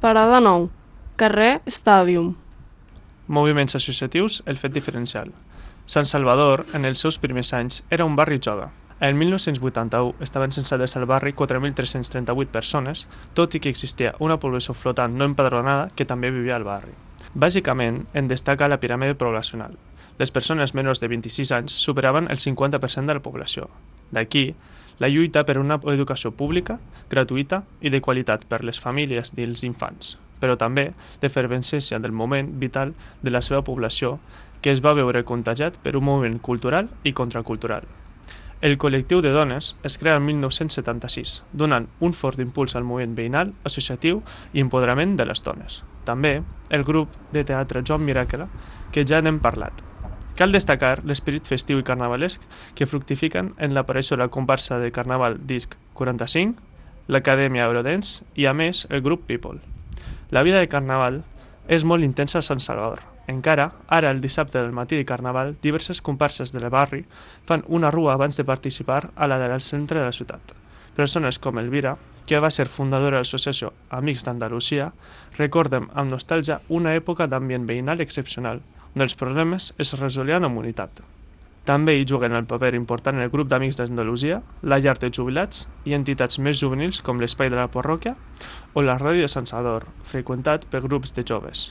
Parada 9. Carrer Stadium. Moviments associatius, el fet diferencial. Sant Salvador, en els seus primers anys, era un barri jove. En 1981 estaven censades al barri 4.338 persones, tot i que existia una població flotant no empadronada que també vivia al barri. Bàsicament, en destaca la piràmide poblacional. Les persones menors de 26 anys superaven el 50% de la població. D'aquí, la lluita per una educació pública, gratuïta i de qualitat per les famílies i els infants, però també l'efervescència del moment vital de la seva població que es va veure contagiat per un moviment cultural i contracultural. El col·lectiu de dones es crea el 1976, donant un fort impuls al moviment veïnal, associatiu i empoderament de les dones. També el grup de teatre Joan Miracle, que ja n'hem parlat. Cal destacar l'esperit festiu i carnavalesc que fructifiquen en l'aparició de la comparsa de carnaval Disc 45, l'Acadèmia Eurodance i, a més, el grup People. La vida de carnaval és molt intensa a Sant Salvador. Encara, ara el dissabte del matí de carnaval, diverses comparses del barri fan una rua abans de participar a la del centre de la ciutat. Persones com Elvira, que va ser fundadora de l'associació Amics d'Andalusia, recorden amb nostàlgia una època d'ambient veïnal excepcional, on els problemes es resolien amb unitat. També hi juguen el paper important el grup d'Amics d'Andalusia, la llar de jubilats i entitats més juvenils com l'Espai de la Parròquia o la Ràdio de Sant Salvador, freqüentat per grups de joves.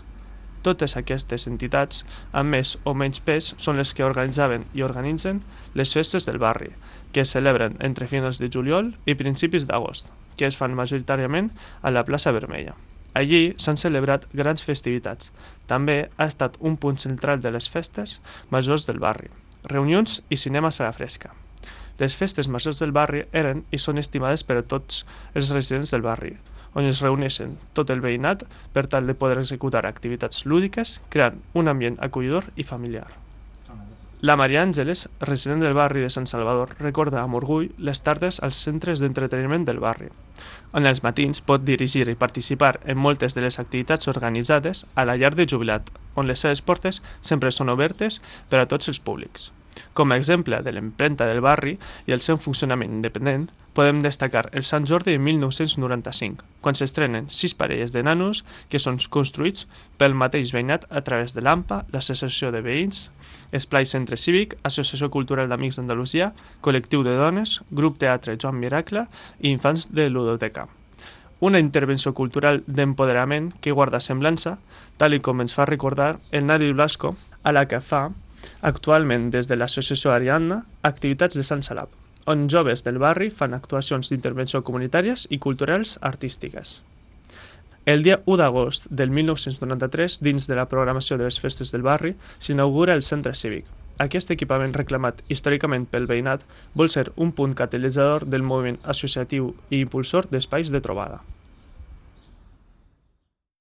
Totes aquestes entitats, amb més o menys pes, són les que organitzaven i organitzen les festes del barri, que es celebren entre finals de juliol i principis d'agost, que es fan majoritàriament a la plaça Vermella. Allí s'han celebrat grans festivitats. També ha estat un punt central de les festes majors del barri, reunions i cinema a la fresca. Les festes majors del barri eren i són estimades per a tots els residents del barri, on es reuneixen tot el veïnat per tal de poder executar activitats lúdiques, creant un ambient acollidor i familiar. La Maria Àngeles, resident del barri de Sant Salvador, recorda amb orgull les tardes als centres d'entreteniment del barri, on els matins pot dirigir i participar en moltes de les activitats organitzades a la llar de jubilat, on les seves portes sempre són obertes per a tots els públics. Com a exemple de l'empremta del barri i el seu funcionament independent, podem destacar el Sant Jordi de 1995, quan s'estrenen 6 parelles de nanos que són construïts pel mateix veïnat a través de l'AMPA, l'Associació de Veïns, Esplai Centre Cívic, Associació Cultural d'Amics d'Andalusia, Col·lectiu de Dones, Grup Teatre Joan Miracle i Infants de Ludoteca. Una intervenció cultural d'empoderament que guarda semblança, tal com ens fa recordar el Nari Blasco, a la que fa actualment des de l'associació Ariadna activitats de Sant Salab, on joves del barri fan actuacions d'intervenció comunitàries i culturals artístiques. El dia 1 d'agost del 1993, dins de la programació de les festes del barri, s'inaugura el Centre Cívic. Aquest equipament reclamat històricament pel veïnat vol ser un punt catalitzador del moviment associatiu i impulsor d'espais de trobada.